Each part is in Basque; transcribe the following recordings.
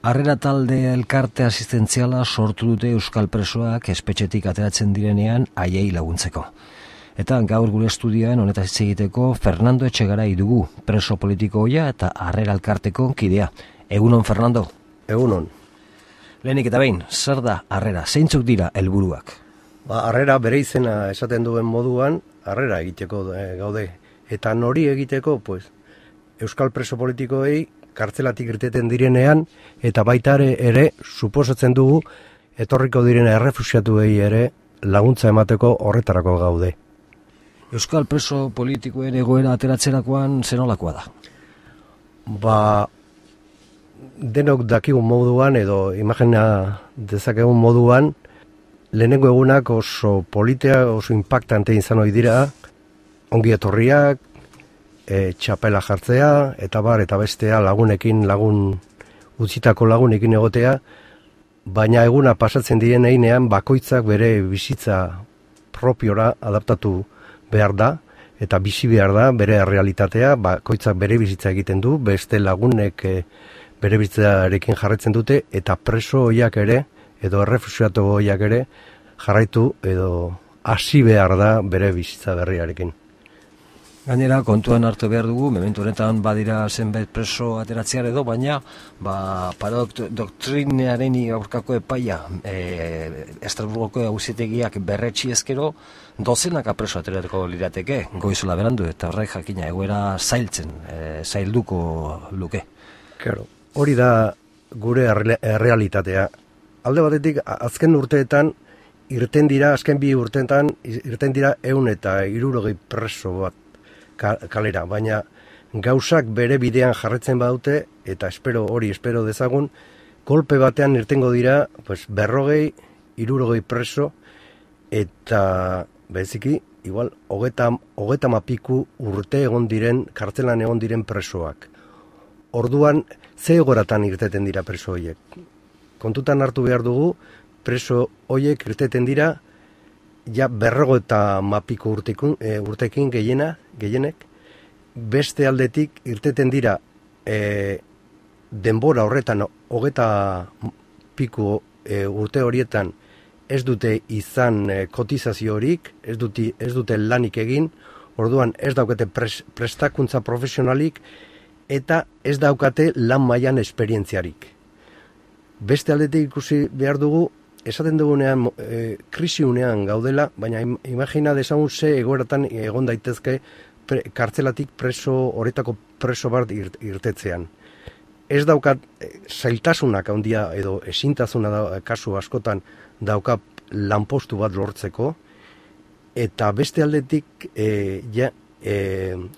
Harrera talde elkarte asistentziala sortu dute euskal presoak espetxetik ateratzen direnean haiei laguntzeko. Eta gaur gure estudioan honetaz hitz egiteko Fernando Etxegarai dugu, preso politikoia eta harrera elkarteko kidea. Egunon, Fernando? Egunon. Lehenik eta behin, zer da harrera? Zeintzuk dira helburuak? Harrera bere izena esaten duen moduan, harrera egiteko gaude. Eta nori egiteko, euskal preso politikoei kartzelatik irteten direnean, eta baita ere suposatzen dugu, etorriko direne errefuxiatuei ere laguntza emateko horretarako gaude. Euskal preso politikoen egoera ateratzerakoan zenolakoa da? Denok dakigun moduan, edo imagina dezakegun moduan, lehenengo egunak oso politea, oso impactante izan ohi dira, ongi etorriak, txapela jartzea, eta bestea utzitako lagunekin egotea, baina eguna pasatzen diren einean bakoitzak bere bizitza propiora adaptatu behar da, eta bizi behar da bere realitatea, bakoitzak bere bizitza egiten du, beste lagunek bere bizitzarekin jarraitzen dute, eta preso hoiak ere, edo errefuxiatu hoiak ere, jarraitu edo hasi behar da bere bizitza berriarekin. Gainera, kontuan hartu behar dugu, momentu honetan badira zenbait preso ateratzear edo, baina doktrinaren aurkako epaia Estrasburgoko auzitegiak berretsi ezkero, dozenaka preso aterateko lirateke, goizela berandu, eta horrek jakina egoera zailduko luke. Claro, hori da gure errealitatea. Alde batetik, azken urteetan, azken bi urteetan, irten dira 160 preso bat kalera, baina gauzak bere bidean jarretzen badute, eta espero dezagun, kolpe batean irtengo dira 50-60 preso, eta beziki, igual, 30 urte egon diren, kartzelan egon diren presoak. Orduan, ze egoratan irteten dira preso horiek? Kontutan hartu behar dugu, preso horiek irteten dira, ja 50 urtekin gehienek, beste aldetik irteten dira denbora horretan 30 urte horietan ez dute izan kotizaziorik, ez dute lanik egin, orduan ez daukate prestakuntza profesionalik eta ez daukate lan mailan esperientziarik. Beste aldetik ikusi behar dugu, esaten dugunean krisiunean gaudela, baina imagina dezagun ze egoeratan egon daitezke kartzelatik horretako preso bat irtetzean. Ez daukat zailtasunak handia edo ezintasuna kasu askotan dauka lanpostu bat lortzeko, eta beste aldetik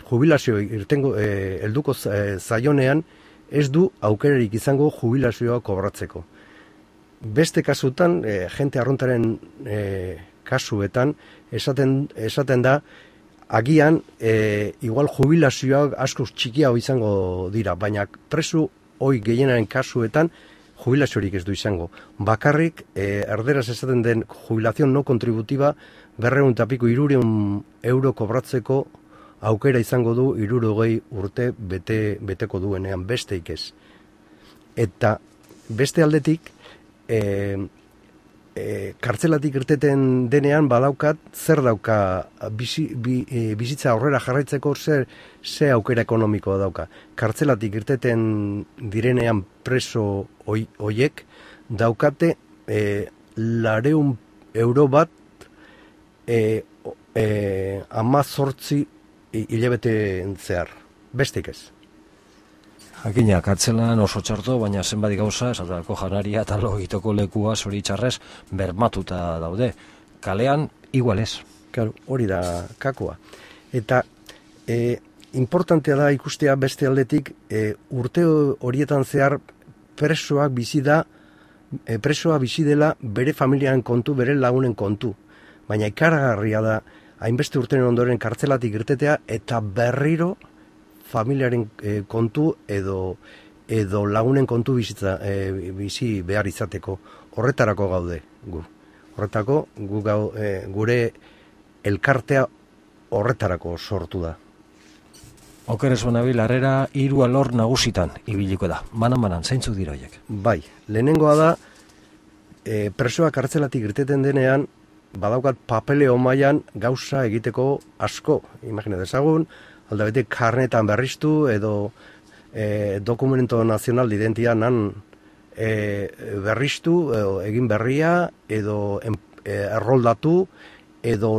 jubilazio helduko zaionean ez du aukerarik izango jubilazioa kobratzeko. Beste kasutan, jente arruntaren kasuetan, esaten da, agian, igual jubilazioak asko txikiago izango dira, baina preso hoi gehienaren kasuetan jubilaziorik ez du izango. Bakarrik, erderaz esaten den jubilazion no kontributiba, 200 euro kobratzeko aukera izango du 60 urte beteko duenean, besteik ez. Eta beste aldetik, kartzelatik irteten denean badaukat, zer dauka bizitza aurrera jarraitzeko ze aukera ekonomikoa dauka. Kartzelatik irteten direnean preso hoiek daukate 200 euro bat 18 hilabete zehar, bestik ez. Jakina, kartzelan oso txarto, baina zenbait gauza, esatako janaria eta logitoko lekua zoritxarrez bermatuta daude. Kalean, igualez. Claro, hori da kakoa. Eta importantea da ikustea beste aldetik, urte horietan zehar presoa bizi dela bere familiaren kontu, bere lagunen kontu. Baina ikaragarria da, hainbeste urtenen ondoren kartzelatik irtetea, eta berriro familiaren kontu edo lagunen kontu bizi behar izateko. Horretarako gaude gu. Horretako gure elkartea horretarako sortu da. Oker ez banabil, Harrera 3 alor nagusitan ibiliko da. Banan, zeintzuk dira horiek? Bai, lehenengoa da, presoak kartzelatik irteten denean, badaukat papeleo mailan gauza egiteko asko. Imagina dezagun, aldabetik karnetan berriztu edo dokumento nazional de identidad nan berriztu, egin berria, edo erroldatu, edo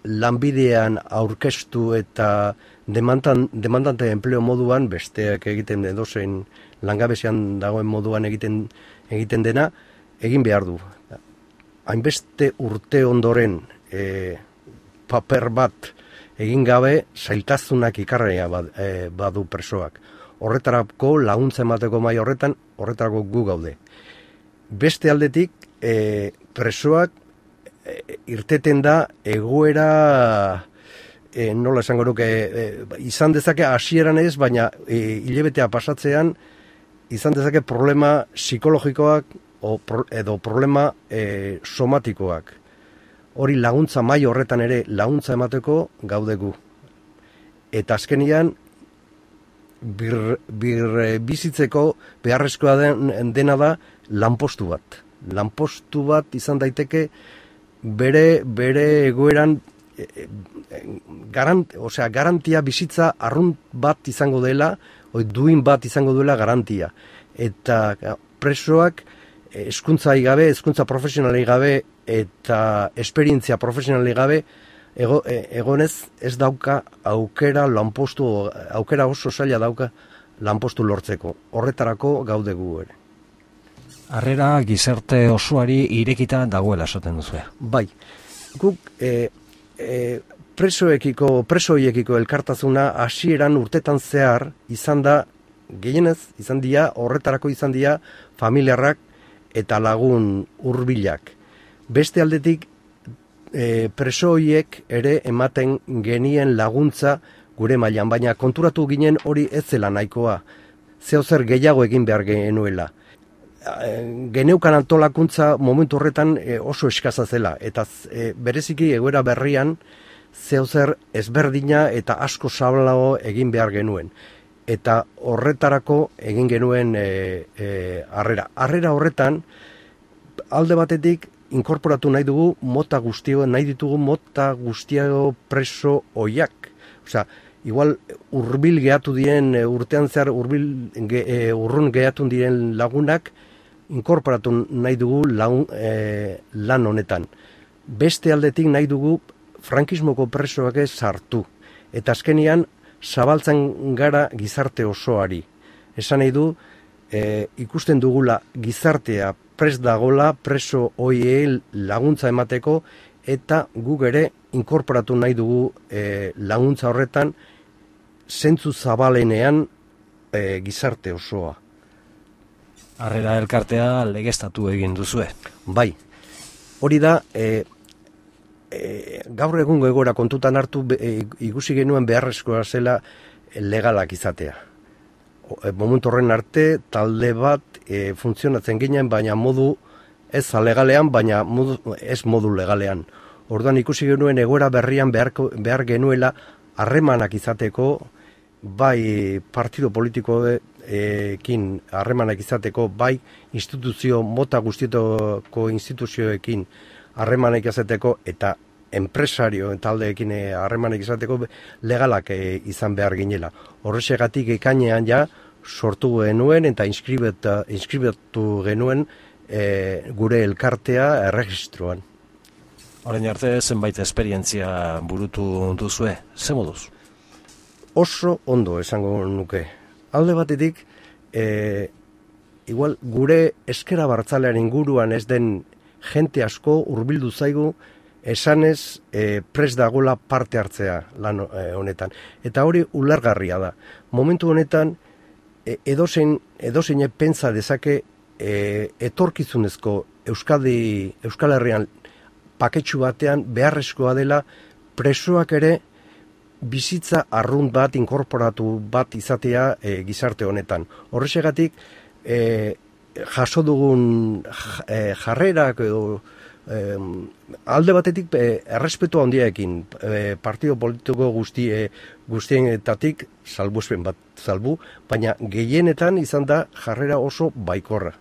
lanbidean aurkeztu eta demandante empleo moduan, besteak egiten edozein langabezian dagoen moduan egiten dena, egin behar du. Hainbeste urte ondoren paper bat egin gabe zailtasunak ikarria badu presoak. Horretarako laguntza emateko mai horretarako gu gaude. Beste aldetik, presoak irteten da egoera, nola esango nuke, izan dezake hasieran ez, baina hilebetea pasatzean, izan dezake problema psikologikoak edo problema somatikoak. Hori laguntza mai horretan ere laguntza emateko gaude gu. Eta azkenian, bizitzeko beharrezkoa dena da lanpostu bat. Lanpostu bat izan daiteke bere egoeran garantia bizitza arrunt bat izango dela, duin bat izango duela garantia. Eta presoak hezkuntza gabe, hezkuntza profesionalei gabe eta esperientzia profesionalei gabe egonez ez dauka aukera oso zaila dauka lanpostu lortzeko. Horretarako gaude gu ere. Harrera gizarte osoari irekita dagoela esaten duzu. Bai. Guk presoiekiko elkartasuna hasieran urtetan zehar izan dira horretarako izan dira familiarrak eta lagun hurbilak. Beste aldetik presoiek ere ematen genien laguntza gure mailan, baina konturatu ginen hori ez zela nahikoa. Zeozer gehiago egin behar genuela. Geneukan antolakuntza momentu horretan oso eskaza zela, eta bereziki egoera berrian zeozer ezberdina eta asko zabalago egin behar genuen. Eta horretarako egin genuen harrera. Harrera horretan, alde batetik, inkorporatu nahi ditugu mota guztiago preso oiak. Osea, igual hurbil gehatu diren, urtean zehar urrun gehatu diren lagunak, inkorporatu nahi dugu lan honetan. Beste aldetik nahi dugu frankismoko presoak ez sartu. Eta azkenian, zabaltzen gara gizarte osoari. Esan nahi du, ikusten dugula gizartea prest dagola, preso hoiei laguntza emateko, eta guk ere inkorporatu nahi dugu laguntza horretan, zentzu zabalenean gizarte osoa. Harrera elkartea legeztatu egin duzue. Bai, hori da, gaur egungo egoera kontutan hartu ikusi genuen beharrezkoa zela legalak izatea. Momentu horren arte, talde bat funtzionatzen ginen, baina modu ez alegalean, baina ez modu legalean. Orduan ikusi genuen egoera berrian behar genuela harremanak izateko, bai partido politikoekin harremanak izateko, bai mota guztietako instituzioekin harremanak izateko, eta enpresario taldeekin harremanak izateko legalak izan behar ginela. Horrexegatik ekainean ja sortu genuen eta inskribatu genuen gure elkartea erregistroan. Orain arte zenbait esperientzia burutu duzue, ze moduz? Oso ondo esango nuke. Alde batetik, igual gure ezker abertzalearen inguruan ez den jente asko hurbildu zaigu esanez prest dagoela parte hartzea lan honetan. Eta hori ulergarria da. Momentu honetan edozein pentsa dezake etorkizunezko Euskal Herrian paketxu batean beharrezkoa dela presoak ere bizitza arrunt bat, inkorporatu bat izatea gizarte honetan. Horrexegatik jaso dugun jarrerak edo alde batetik errespetu handiarekin partido politiko guztienetatik salbuespen bat salbu, baina gehienetan izan da jarrera oso baikorra.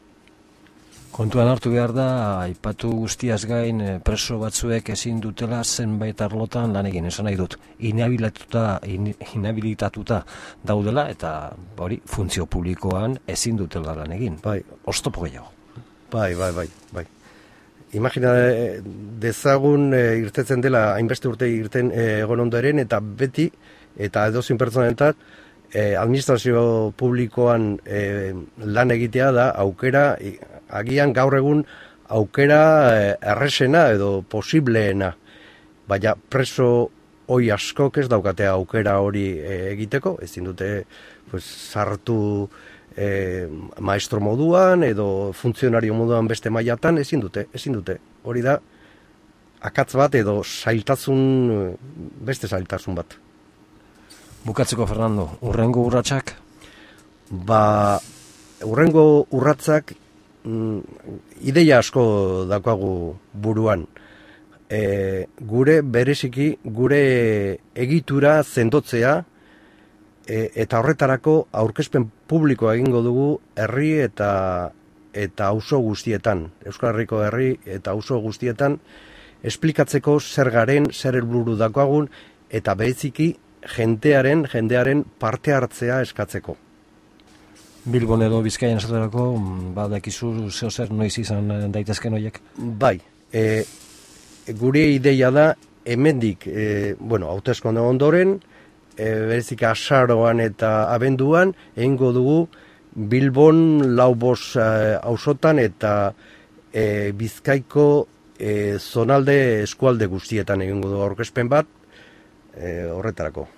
Kontuan hartu behar da, aipatu guztiaz gain preso batzuek ezin dutela zenbait arlotan lan egin, esan nahi dut, inhabilitatuta daudela eta hori funtzio publikoan ezin dutela lan egin. Bai. Oztopo gehiago. Bai. Imagina dezagun irtetzen dela, hainbeste urte irten egon ondoren, eta beti, eta edozein pertsonentzat, administrazio publikoan lan egitea da aukera, agian gaur egun aukera erresena edo posibleena, baina preso hoi askok ez daukate aukera hori egiteko, ezin dute sartu maestro moduan edo funtzionario moduan beste mailatan, ezin dute. Hori da akatz bat edo beste zailtasun bat. Bukatzeko, Fernando, urrengo urratsak? Urrengo urratsak ideia asko daukagu buruan. Gure egitura sendotzea eta horretarako aurkezpen publikoa egingo dugu herri eta auzo guztietan, Euskal Herriko herri eta auzo guztietan, esplikatzeko zer garen, zer helburu daukagun eta bereziki jendearen parte hartzea eskatzeko. Bilbon edo Bizkaian esaterako, badakizu zer noiz izan daitezken horiek? Bai, gure ideia da hemendik, hauteskunde ondoren, berezik azaroan eta abenduan, egingo dugu Bilbon 4 auzotan eta Bizkaiko zonalde eskualde guztietan egingo dugu aurkezpen bat, horretarako.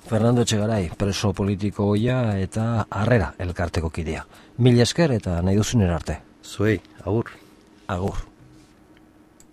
Fernando Etxegaray, preso politiko ohia eta Harrera elkarteko kidea. Mila esker eta nahi duzunera arte. Zuei, agur. Agur.